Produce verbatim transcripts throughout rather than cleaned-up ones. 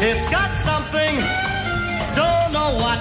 It's got something, don't know what.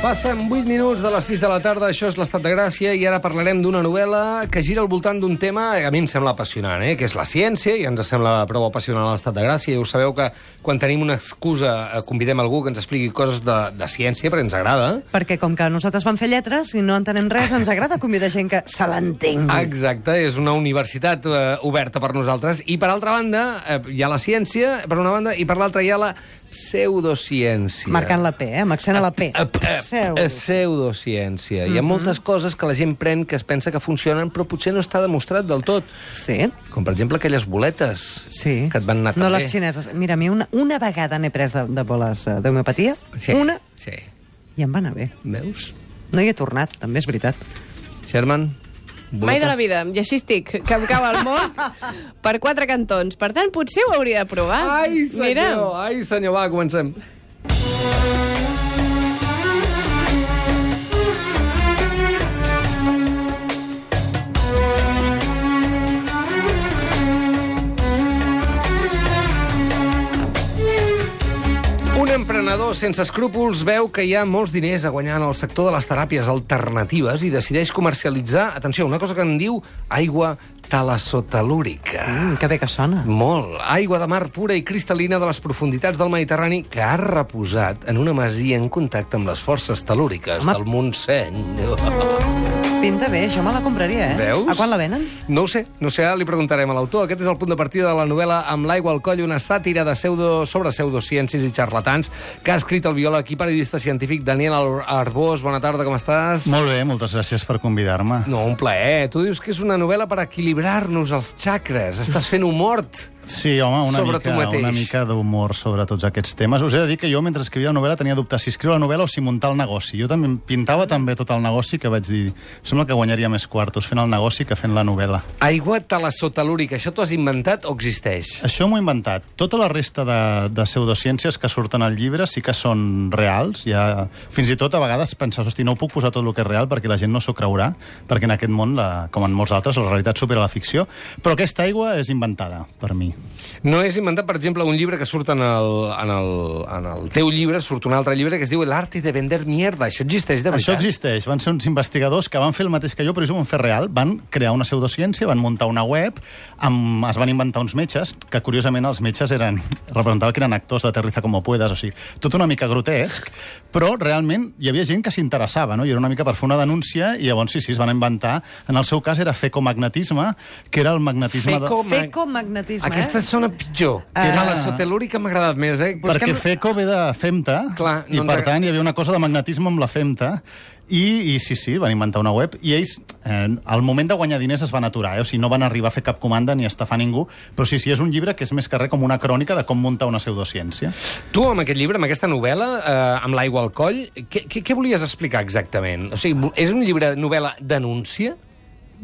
Passen vuit minuts de les sis de la tarda, això és l'Estat de Gràcia, i ara parlarem d'una novel·la que gira al voltant d'un tema que a mi em sembla apassionant, eh? que és la ciència, i ens sembla prou apassionant a l'Estat de Gràcia. Ja ho sabeu que quan tenim una excusa convidem algú que ens expliqui coses de, de ciència, perquè ens agrada. Perquè com que nosaltres vam fer lletres i no entenem res, ens agrada convidar gent que se l'entengui. Exacte, és una universitat eh, oberta per nosaltres. I per altra banda, eh, hi ha la ciència, per una banda, i per l'altra hi ha la pseudociència. Marcant la P, eh? Amb accent a la P. A, a, a, pseudociència. Mm-hmm. Hi ha moltes coses que la gent pren que es pensa que funcionen, però potser no està demostrat del tot. Sí. Com, per exemple, aquelles boletes sí. que et van anar no també. Les xineses. Mira, a mi una, una vegada n'he pres de, de boles d'homeopatia. Sí. Una. Sí. I em va anar bé. Veus? No hi he tornat, també és veritat. Sherman? Boletes? Mai de la vida. I així estic, que em cau el món per quatre cantons. Per tant, potser ho hauria de provar. Ai, senyor, Mira. ai, senyor, va, comencem. Un emprenedor sense escrúpols veu que hi ha molts diners a guanyar en el sector de les teràpies alternatives i decideix comercialitzar, atenció, una cosa que en diu aigua talasotelúrica. Mm, que bé que sona. Molt. Aigua de mar pura i cristal·lina de les profunditats del Mediterrani que ha reposat en una masia en contacte amb les forces telúriques Home. del Montseny. Pinta bé, això me la compraria, eh? Veus? A quan la venen? No ho sé, no sé, ara li preguntarem a l'autor. Aquest és el punt de partida de la novel·la Amb l'aigua al coll, una sàtira de pseudo, sobre pseudociències i xarlatans que ha escrit el biòleg i periodista científic Daniel Arbós. Bona tarda, com estàs? Molt bé, moltes gràcies per convidar-me. No, un plaer. Tu dius que és una novel·la per equilibrar-nos els xacres. Estàs fent humor. Sí, home, una sobre mica, tu mateix. una mica d'humor sobre tots aquests temes. Us he de dir que jo, mentre escrivia la novel·la, tenia dubtes si escriure la novel·la o si muntar el negoci. Jo també pintava també tot el negoci, que vaig dir, sembla que guanyaria més quartos fent el negoci que fent la novel·la. Aigua talasotelúrica, això t'ho has inventat o existeix? Això m'ho he inventat. Tota la resta de, de pseudociències que surten al llibre sí que són reals. Ja, fins i tot a vegades penses, hosti, no ho puc posar tot el que és real perquè la gent no s'ho creurà, perquè en aquest món, la, com en molts altres, la realitat supera la ficció. Però aquesta aigua és inventada, per mi. No és inventat, per exemple, un llibre que surt en el, en el, en el teu llibre, surt un altre llibre que es diu El arte de vender mierda. Això existeix de veritat? Això existeix. Van ser uns investigadors que van fer el mateix que jo, però ells ho van fer real. Van crear una pseudociència, van muntar una web, amb, es van inventar uns metges, que curiosament els metges eren, representava que eren actors d'Aterriza como puedas, o sigui, tot una mica grotesc, però realment hi havia gent que s'interessava, no? I era una mica per fer una denúncia, i llavors sí, sí, es van inventar. En el seu cas era fecomagnetisme, que era el magnetisme... Feco... De... Fecomagnetisme, Aquesta eh? sona pitjor. Ah. Que era la sotelúrica m'ha agradat més, eh? Perquè Busquem... feco ve de femta, Clar, i no per ens... tant hi havia una cosa de magnetisme amb la femta, i, i sí, sí, van inventar una web, i ells, eh, al moment de guanyar diners es van aturar, eh? O sigui, no van arribar a fer cap comanda ni a estafar ningú, però sí, sí, és un llibre que és més que res com una crònica de com muntar una pseudociència. Tu, amb aquest llibre, amb aquesta novel·la, eh, amb l'aigua al coll, què, què, què volies explicar exactament? O sigui, és un llibre novel·la denúncia?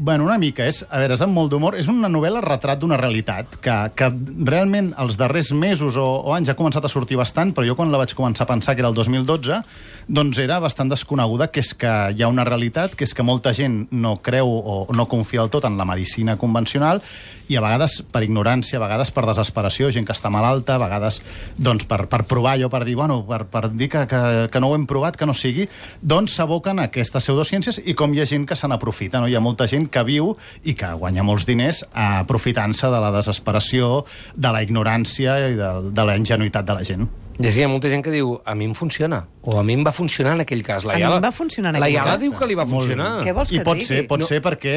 Bueno, una mica. És, a veure, és amb molt d'humor. És una novel·la retrat d'una realitat que, que realment els darrers mesos o, o anys ha començat a sortir bastant, però jo quan la vaig començar a pensar, que era el dos mil dotze, doncs era bastant desconeguda, que és que hi ha una realitat, que és que molta gent no creu o no confia del tot en la medicina convencional, i a vegades per ignorància, a vegades per desesperació, gent que està malalta, a vegades doncs, per, per provar allò, per dir, bueno, per, per dir que, que, que no ho hem provat, que no sigui, doncs s'aboquen a aquestes pseudociències, i com hi ha gent que se n'aprofita, no? Hi ha molta gent que viu i que guanya molts diners aprofitant-se de la desesperació, de la ignorància i de, de la ingenuïtat de la gent. I hi ha molta gent que diu, a mi em funciona, o a mi em va funcionar en aquell cas. La A mi Iala, em va funcionar en la aquell Iala cas. diu que li va funcionar. Què vols que I pot et ser, digui? pot No. ser perquè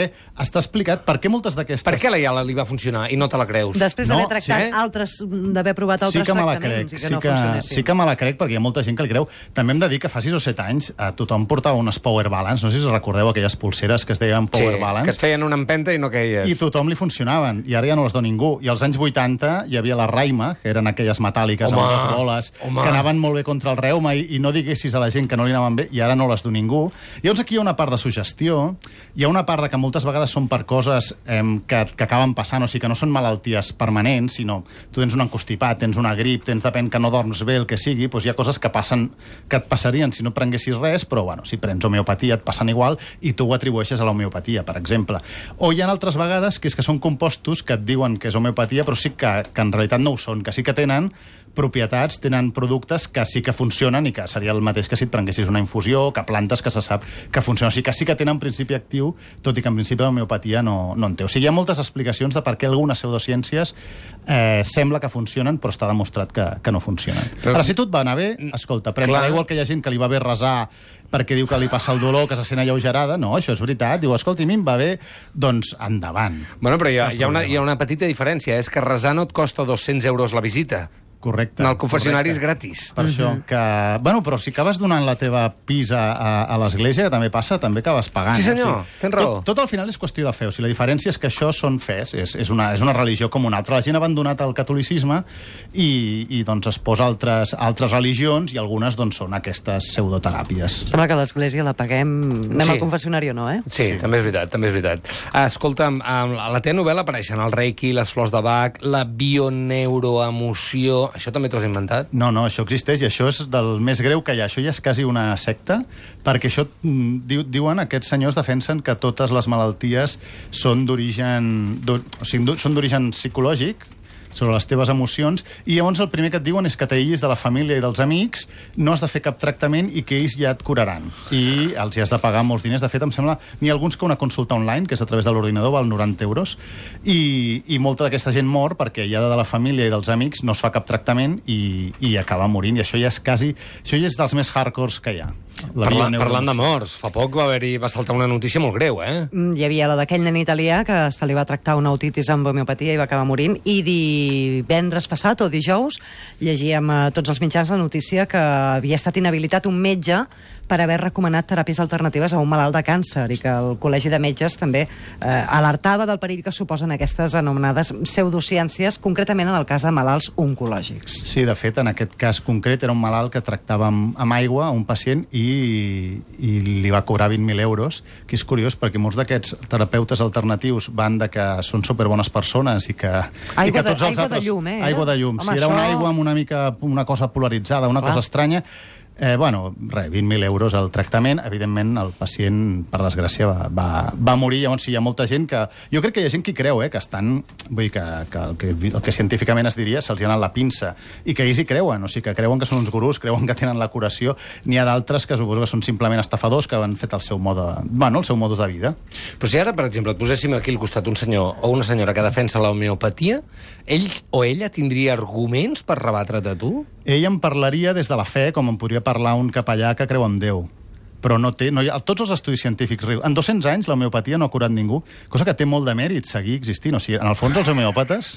està explicat per què moltes d'aquestes... Per què a la Iala li va funcionar i no te la creus? Després No, d'haver tractat sí? altres, d'haver provat altres sí que me la tractaments crec, i que sí no que, funcionessin. sí que me la crec perquè hi ha molta gent que li creu. També hem de dir que fa sis o set anys a tothom portava unes Power Balance, no sé si us recordeu aquelles pulseres que es deien Power sí, Balance. que es feien una empenta i no queies. I tothom li funcionaven, i ara ja no les dona ningú. I als anys vuitanta hi havia la Raima, que eren aquelles metàl·liques Home, amb dues boles, home. que anaven molt bé contra el reuma, i, i no diguessis a la gent que no li anaven bé, i ara no les du ningú. Llavors aquí hi ha una part de suggestió, hi ha una part de que moltes vegades són per coses eh, que, que acaben passant, o sigui, que no són malalties permanents, sinó tu tens un encostipat, tens una grip, tens, depèn que no dorms bé, el que sigui, doncs hi ha coses que passen, que et passarien si no prenguessis res, però bueno, si prens homeopatia et passen igual i tu ho atribueixes a l'homeopatia, per exemple. O hi ha altres vegades que és que són compostos que et diuen que és homeopatia, però sí que, que en realitat no ho són, que sí que tenen propietats, tenen productes que sí que funcionen i que seria el mateix que si et prenguessis una infusió, que plantes que se sap que funcionen. O sigui que sí que tenen principi actiu, tot i que en principi l'homeopatia no, no en té. O sigui, hi ha moltes explicacions de per què algunes pseudociències eh, sembla que funcionen, però està demostrat que, que no funcionen. Però, però si tu et va anar bé, escolta, pren igual que hi ha gent que li va bé resar perquè diu que li passa el dolor, que se sent alleugerada. No, això és veritat. Diu, escolta, a mi em va bé, doncs endavant. Bueno, però hi ha, hi ha, una, hi ha una petita diferència. És que resar no et costa dos-cents euros la visita. Correcte. En el confessionari correcte. és gratis. Per uh-huh. això que... Bueno, però si acabes donant la teva pis a, a, a l'església, que també passa, també acabes pagant. Sí, senyor, eh? tens raó. Tot, tot al final és qüestió de fe. O sigui, la diferència és que això són fes, és, és, una, és una religió com una altra. La gent ha abandonat el catolicisme i, i doncs es posa altres, altres religions i algunes doncs són aquestes pseudoteràpies. Sembla que l'església la paguem... Anem Sí. al confessionari o no, eh? Sí, sí, també és veritat, també és veritat. Ah, escolta'm, a la teva novel·la apareixen el reiki, les flors de Bach, la bioneuroemoció... Això també t'ho has inventat? No, no, això existeix i això és del més greu que hi ha. Això ja és quasi una secta, perquè això, diu, diuen, aquests senyors defensen que totes les malalties són d'origen... O sigui, són d'origen psicològic, sobre les teves emocions, i llavors el primer que et diuen és que t'aïllis de la família i dels amics, no has de fer cap tractament i que ells ja et curaran. I els hi has de pagar molts diners. De fet, em sembla, n'hi ha alguns que una consulta online, que és a través de l'ordinador, val noranta euros, i, i molta d'aquesta gent mor perquè ja de la família i dels amics no es fa cap tractament i, i acaba morint. I això ja és quasi... Això ja és dels més hardcores que hi ha. Parla, parlant de morts, fa poc va haver-hi va saltar una notícia molt greu, eh? Hi havia la d'aquell nen italià que se li va tractar una otitis amb homeopatia i va acabar morint, i divendres passat o dijous llegíem a tots els mitjans la notícia que havia estat inhabilitat un metge per haver recomanat teràpies alternatives a un malalt de càncer i que el Col·legi de Metges també eh, alertava del perill que suposen aquestes anomenades pseudociències, concretament en el cas de malalts oncològics. Sí, de fet, en aquest cas concret era un malalt que tractava amb, amb aigua a un pacient i, i li va cobrar vint mil euros, que és curiós perquè molts d'aquests terapeutes alternatius van de que són superbones persones i que... Aigua, i que de, tots els aigua altres, de llum, eh? Aigua de llum. Home, si era això... una aigua amb una mica una cosa polaritzada, una Clar. cosa estranya... Eh, bueno, res, vint mil euros al tractament. Evidentment, el pacient, per desgràcia, va, va, va morir. Llavors, sí, hi ha molta gent que... Jo crec que hi ha gent que hi creu, eh, que estan... Vull dir que, que, el, que el que científicament es diria se'ls hi ha anat la pinça. I que ells hi creuen, o sigui, que creuen que són uns gurús, creuen que tenen la curació. N'hi ha d'altres que suposo que són simplement estafadors que han fet el seu mode... Bueno, el seu modus de vida. Però si ara, per exemple, et poséssim aquí al costat un senyor o una senyora que defensa l'homeopatia, ell o ella tindria arguments per rebatre't a tu? Ell em parlaria des de la fe, com em podria parlar un capellà que creu en Déu. Però no té... No hi ha, tots els estudis científics... En dos-cents anys l'homeopatia no ha curat ningú, cosa que té molt de mèrit seguir existint. O sigui, en el fons els homeòpates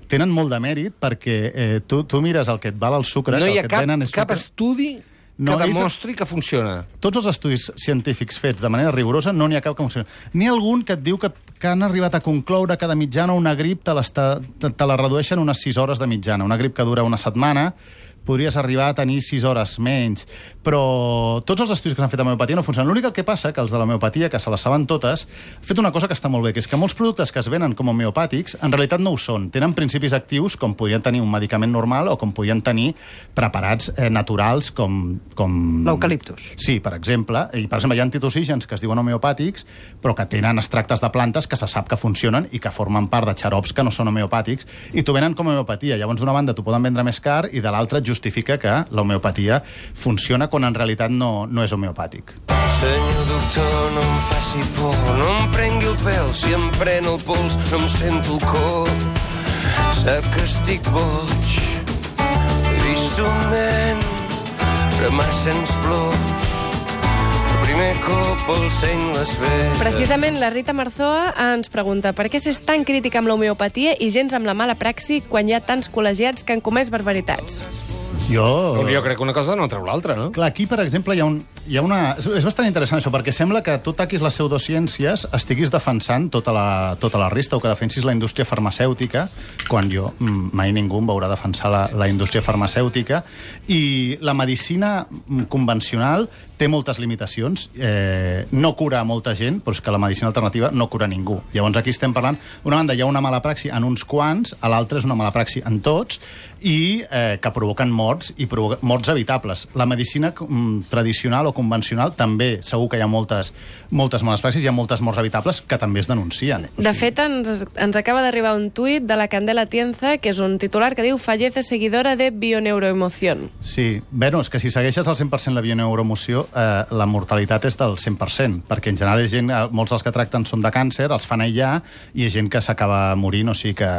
tenen molt de mèrit perquè eh, tu, tu mires el que et val el sucre... No hi ha ha cap, és cap sucre. estudi que No, ells- demostri que funciona. Tots els estudis científics fets de manera rigorosa no n'hi ha cap que funcioni. N'hi ha algun que et diu que, que han arribat a concloure que de mitjana una grip te, te, te la redueixen unes sis hores de mitjana. Una grip que dura una setmana podries arribar a tenir sis hores menys, però tots els estudis que s'han fet amb homeopatia no funcionen. L'únic que passa que els de l'homeopatia, que se les saben totes, han fet una cosa que està molt bé, que és que molts productes que es venen com homeopàtics en realitat no ho són. Tenen principis actius com podrien tenir un medicament normal o com podrien tenir preparats eh, naturals com... com... L'eucaliptus. Sí, per exemple. I, per exemple, hi ha antitoxígens que es diuen homeopàtics, però que tenen extractes de plantes que se sap que funcionen i que formen part de xarops que no són homeopàtics i t'ho venen com a homeopatia. Llavors, d'una banda, t'ho poden vendre més car i de l'altra justifica que l'homeopatia funciona quan en realitat no, no és homeopàtic. Senyor doctor, no em faci por, no em prengui el pèl, si em pren el pols no em sento el cor. Sap que estic boig, he vist un nen remar-se'ns plors. El primer cop el seny les vetes. Precisament la Rita Marzoa ens pregunta per què s'és tan crítica amb l'homeopatia i gens amb la mala praxi quan hi ha tants col·legiats que han comès barbaritats. Jo... Jo crec que una cosa no treu l'altra, no? Clar, aquí, per exemple, hi ha, un, hi ha una... És, és bastant interessant això, perquè sembla que tu taquis les pseudociències, estiguis defensant tota la, tota la resta, o que defensis la indústria farmacèutica, quan jo, mai ningú em veurà defensar la, la indústria farmacèutica, i la medicina convencional té moltes limitacions, eh, no cura a molta gent, però és que la medicina alternativa no cura ningú. Llavors aquí estem parlant, una banda hi ha una mala praxi en uns quants, a l'altra és una mala praxi en tots, i eh, que provoquen mort morts i provoca morts evitables. La medicina mm, tradicional o convencional també, segur que hi ha moltes, moltes males praxis, hi ha moltes morts evitables que també es denuncien. De fet, ens, ens acaba d'arribar un tuit de la Candela Tienza, que és un titular que diu «Fallece seguidora de bioneuroemoción». Sí, bueno, és que si segueixes al cent per cent la bioneuroemoció, eh, la mortalitat és del cent per cent, perquè en general és gent, molts dels que tracten són de càncer, els fan aïllar, i hi ha gent que s'acaba morint, o sigui que...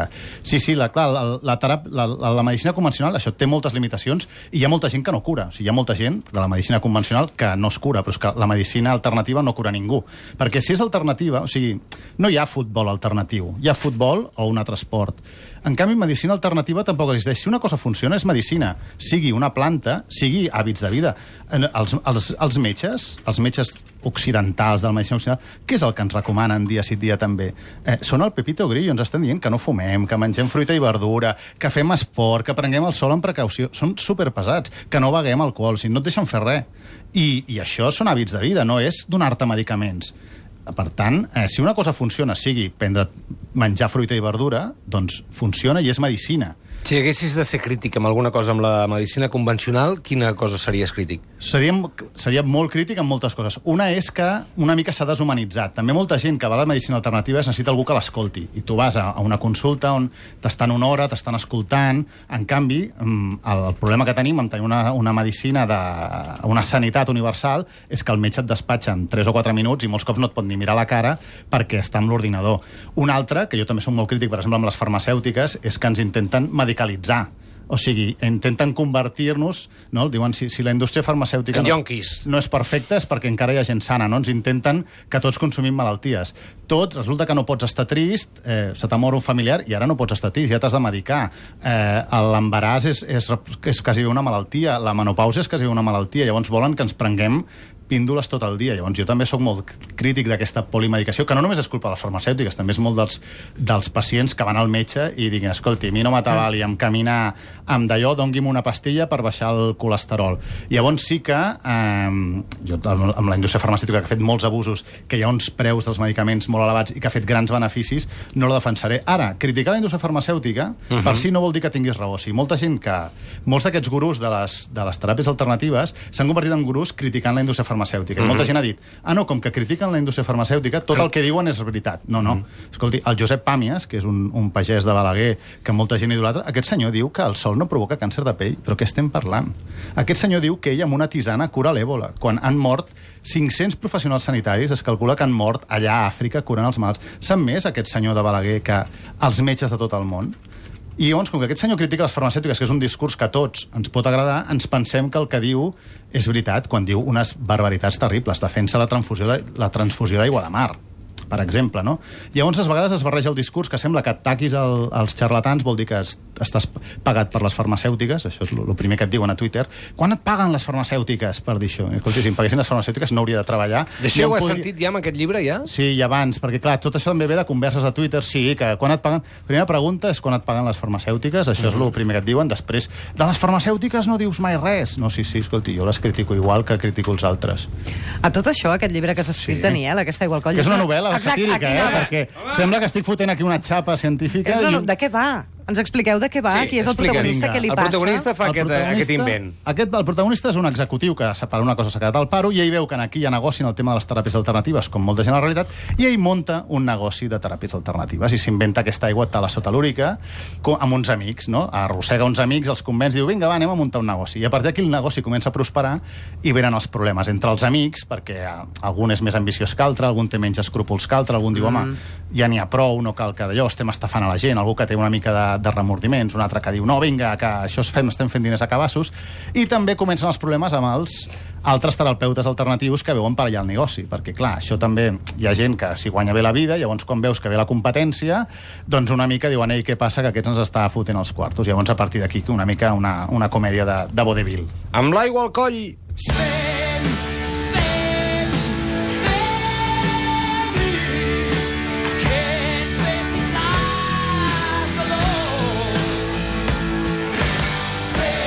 Sí, sí, la, clar, la, la, terap... la, la, la medicina convencional, això té moltes limitacions, i hi ha molta gent que no cura. O sigui, hi ha molta gent de la medicina convencional que no es cura, però és que la medicina alternativa no cura ningú. Perquè si és alternativa, o sigui, no hi ha futbol alternatiu, hi ha futbol o un altre esport. En canvi, medicina alternativa tampoc existeix. Si una cosa funciona, és medicina. Sigui una planta, sigui hàbits de vida. Els, els, els metges, els metges occidentals de la medicina occidental, què és el que ens recomanen dia sí dia també? Eh, són el Pepito Grillo, ens estan dient que no fumem, que mengem fruita i verdura, que fem esport, que prenguem el sol amb precaució. Són superpesats, que no beguem alcohol, si no et deixen fer res. I, i això són hàbits de vida, no és donar-te medicaments. Per tant, eh, si una cosa funciona, sigui prendre, menjar fruita i verdura, doncs funciona i és medicina. Si haguessis de ser crític amb alguna cosa amb la medicina convencional, quina cosa series crític? Seríem, seria molt crític en moltes coses. Una és que una mica s'ha deshumanitzat. També molta gent que va a la medicina alternativa es necessita algú que l'escolti. I tu vas a, a una consulta on t'estan una hora, t'estan escoltant. En canvi, el, el problema que tenim amb tenir una, una medicina, de, una sanitat universal, és que el metge et despatxa en tres o quatre minuts i molts cops no et pot ni mirar la cara perquè està amb l'ordinador. Un altre, que jo també soc molt crític, per exemple, amb les farmacèutiques, és que ens intenten medicalitzar. O sigui, intenten convertir-nos, no? Diuen, si, si la indústria farmacèutica no, no és perfecta és perquè encara hi ha gent sana, no? Ens intenten que tots consumim malalties. Tot, resulta que no pots estar trist, eh, se t'ha mort un familiar i ara no pots estar trist, ja t'has de medicar. Eh, L'embaràs és, és, és quasi una malaltia, la menopausa és quasi una malaltia, llavors volen que ens prenguem píndoles tot el dia. Llavors jo també sóc molt crític d'aquesta polimedicació, que no només és culpa de les farmacèutiques, també és molt dels, dels pacients que van al metge i diguin, escolti, a mi no m'atabali amb caminar amb d'allò, doni'm una pastilla per baixar el colesterol. Llavors sí que eh, jo amb la indústria farmacèutica que ha fet molts abusos, que hi ha uns preus dels medicaments molt elevats i que ha fet grans beneficis, no la defensaré. Ara, criticar la indústria farmacèutica uh-huh. per si no vol dir que tinguis raó. O sigui, molta gent que... Molts d'aquests gurús de les, de les teràpies alternatives s'han convertit en gurús criticant la indústria farmacèutica. farmacèutica. Mm-hmm. Molta gent ha dit, ah, no, com que critiquen la indústria farmacèutica, tot el que diuen és veritat. No, no. Mm-hmm. Escolti, el Josep Pàmies, que és un, un pagès de Balaguer, que molta gent idolatra, aquest senyor diu que el sol no provoca càncer de pell. Però què estem parlant? Aquest senyor diu que ell amb una tisana cura l'èbola, quan han mort cinc-cents professionals sanitaris, es calcula que han mort allà a Àfrica curant els mals. Sap més aquest senyor de Balaguer que els metges de tot el món? I llavors, com que aquest senyor critica les farmacèutiques, que és un discurs que a tots ens pot agradar, ens pensem que el que diu és veritat quan diu unes barbaritats terribles. Defensa la transfusió de, la transfusió d'aigua de mar, per exemple, no? Llavors, a vegades es barreja el discurs que sembla que ataquis el, els xarlatans, vol dir que es, estàs pagat per les farmacèutiques, això és el primer que et diuen a Twitter. Quan et paguen les farmacèutiques per dir això? Escolti, si em paguessin les farmacèutiques no hauria de treballar. D'això ja ho has podria... sentit ja amb aquest llibre, ja? Sí, i abans, perquè clar, tot això també ve de converses a Twitter, sí, que quan et paguen... Primera pregunta és quan et paguen les farmacèutiques, això mm-hmm. és el primer que et diuen, després, de les farmacèutiques no dius mai res. No, sí, sí, escolti, jo les critico igual que critico els altres. A tot això, aquest llibre que has escrit, sí. Daniel, aquesta Igual Coll... Que és una novel·la satírica, eh? Perquè Home. Sembla que estic fotent aquí una xapa científica. No, no, i... de què va? Ens expliqueu de què va? Sí, qui és el protagonista, què li passa? El protagonista fa aquest, aquest invent. Aquest, el protagonista és un executiu que per una cosa s'ha quedat al paro i ell veu que aquí hi ha negoci en el tema de les teràpies alternatives, com molta gent a la realitat, i ell monta un negoci de teràpies alternatives i s'inventa aquesta aigua talasotelúrica amb uns amics, no? Arrossega uns amics, els convenç i diu, vinga, va, anem a muntar un negoci. I a partir d'aquí el negoci comença a prosperar i venen els problemes entre els amics, perquè algun és més ambiciós que altre, algun té menys escrúpols que altre, algun diu, home, ja n'hi ha prou, no cal que d'allò estem estafant a la gent, algú que té una mica de, de remordiments, un altre que diu, no, vinga, que això es fem, estem fent diners a cabassos, i també comencen els problemes amb els altres terapeutes alternatius que veuen per allà el negoci, perquè, clar, això també hi ha gent que s'hi guanya bé la vida, llavors quan veus que ve la competència, doncs una mica diuen, ei, què passa, que aquests ens està fotent els quartos. Llavors, a partir d'aquí, una mica una, una comèdia de, de vodevil. Amb l'aigua al coll!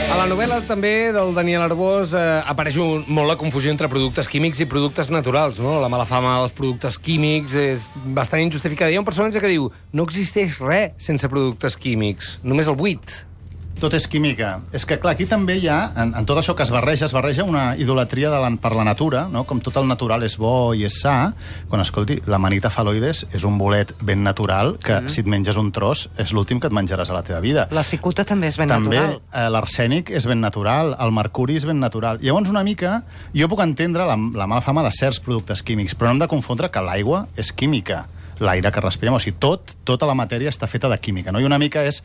A la novel·la també del Daniel Arbós eh, apareix un, molt la confusió entre productes químics i productes naturals, no? La mala fama dels productes químics és bastant injustificada. Hi ha un personatge que diu no existeix res sense productes químics, només el buit. tot és química. És que, clar, aquí també hi ha, en, en tot això que es barreja, es barreja una idolatria de la, per la natura, no? Com tot el natural és bo i és sa, quan, escolti, l'amanita faloides és un bolet ben natural que, mm. si et menges un tros, és l'últim que et menjaràs a la teva vida. La cicuta també és ben també, natural. També eh, l'arsènic és ben natural, el mercuri és ben natural. Llavors, una mica, jo puc entendre la, la mala fama de certs productes químics, però no hem de confondre que l'aigua és química. L'aire que respirem, o sigui, tot, tota la matèria està feta de química, no? I una mica és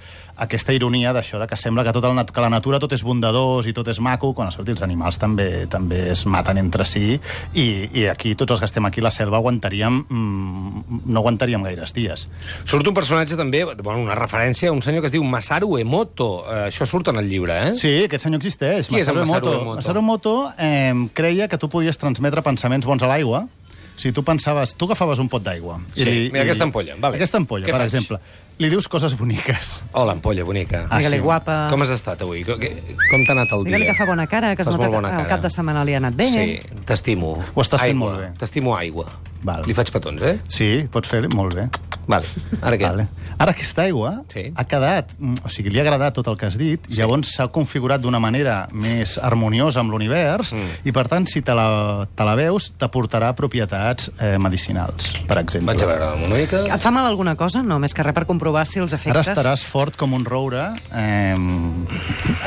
aquesta ironia d'això, de que sembla que, tot el, que la natura tot és bondadós i tot és maco, quan, escolti, els animals també també es maten entre si, i, i aquí, tots els que estem aquí a la selva, aguantaríem, mmm, no aguantaríem gaires dies. Surt un personatge també, bueno, una referència a un senyor que es diu Masaru Emoto. Eh, això surt en el llibre, eh? Sí, aquest senyor existeix. Qui és el Masaru Emoto? Masaru Emoto eh, creia que tu podies transmetre pensaments bons a l'aigua. Si tu pensaves... Tu agafaves un pot d'aigua. Sí, i, mira, i, aquesta ampolla. Vale. Aquesta ampolla, Què per faig? exemple. Li dius coses boniques. Hola, ampolla bonica. Ah, Digue-li sí. guapa. Com has estat avui? Com t'ha anat el dia? Digue-li que fa bona cara, que es Fas nota molt bona que el cara. cap de setmana li ha anat bé. Sí, t'estimo. Ho estàs fent Aigua. molt bé. T'estimo aigua. Val. Li faig petons, eh? Sí, pots fer molt bé. Vale. Ara què? Vale. Ara aquesta aigua Sí. ha quedat... O sigui, li ha agradat tot el que has dit, i llavors s'ha configurat d'una manera més harmoniosa amb l'univers, Mm. i per tant, si te la, te la veus, t'aportarà propietats eh, medicinals, per exemple. Vaig a veure una mica. Et fa mal alguna cosa? No, més que res per comprovar si els Ara efectes... estaràs fort com un roure, eh,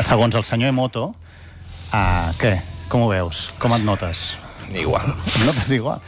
segons el senyor Emoto. Ah, què? Com ho veus? Com et notes? Igual. Et notes igual?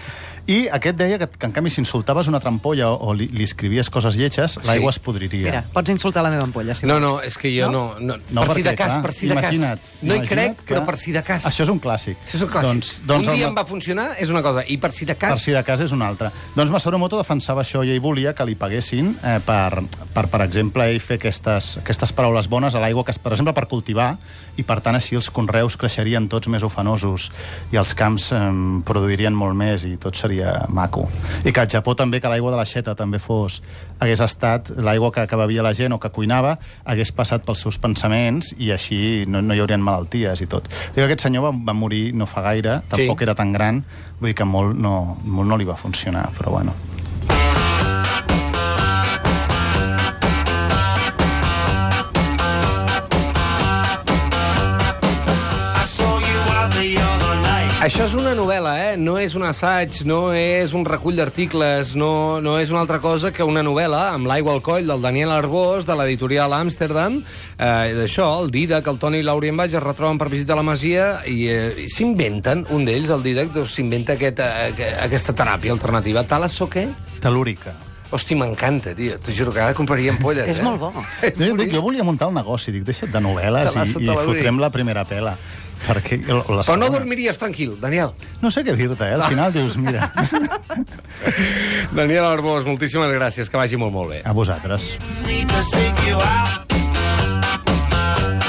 I aquest deia que, que en canvi, si insultaves una trampolla o, o li, li escrivies coses lletges, Sí. l'aigua es podriria. Mira, pots insultar la meva ampolla, si No, vols. no, és que jo no... no, No, per si de perquè, cas, clar, per si de cas. imagina't, No hi imagina't crec, que- però per si de cas. Això és un clàssic. Això és un clàssic. Doncs, doncs un dia el- em va funcionar, és una cosa, i per si de cas... Per si de cas és una altra. Doncs Masaru Emoto defensava això i ell volia que li paguessin eh, per, per, per exemple, ell fer aquestes, aquestes paraules bones a l'aigua, que es- per exemple, per cultivar, i per tant així els conreus creixerien tots més ufanosos i els camps eh, produirien molt més i tot seria maco. I que al Japó també, que l'aigua de l'aixeta també fos, hagués estat l'aigua que, que bevia la gent o que cuinava, hagués passat pels seus pensaments i així no, no hi haurien malalties i tot. Dic, aquest senyor va, va morir no fa gaire, tampoc Sí. era tan gran, vull dir que molt no, molt no li va funcionar, però bueno. Això és una novel·la, eh? No és un assaig, no és un recull d'articles, no, no és una altra cosa que una novel·la amb l'aigua al coll del Daniel Arbós, de l'editorial Amsterdam. Eh, d'això, el Didac, el Toni i l'Aurien Baix es retroben per visitar la Masia i, eh, i s'inventen, un d'ells, el Didac, doncs, s'inventa aquest, eh, aquesta teràpia alternativa. Talasso, què? Telúrica. Hosti, m'encanta, tio. T'ho juro que ara compraria ampolles, És eh? molt bo. Jo, dic, jo volia muntar un negoci, dic, deixa't de novel·les Talasso, i, i telúric. fotrem la primera pela. Perquè la Però no segona- dormiries tranquil, Daniel. No sé què dir-te, eh? Al final dius, mira, Daniel Arbós, moltíssimes gràcies, que vagi molt, molt bé. a vosaltres. Need to seek you out.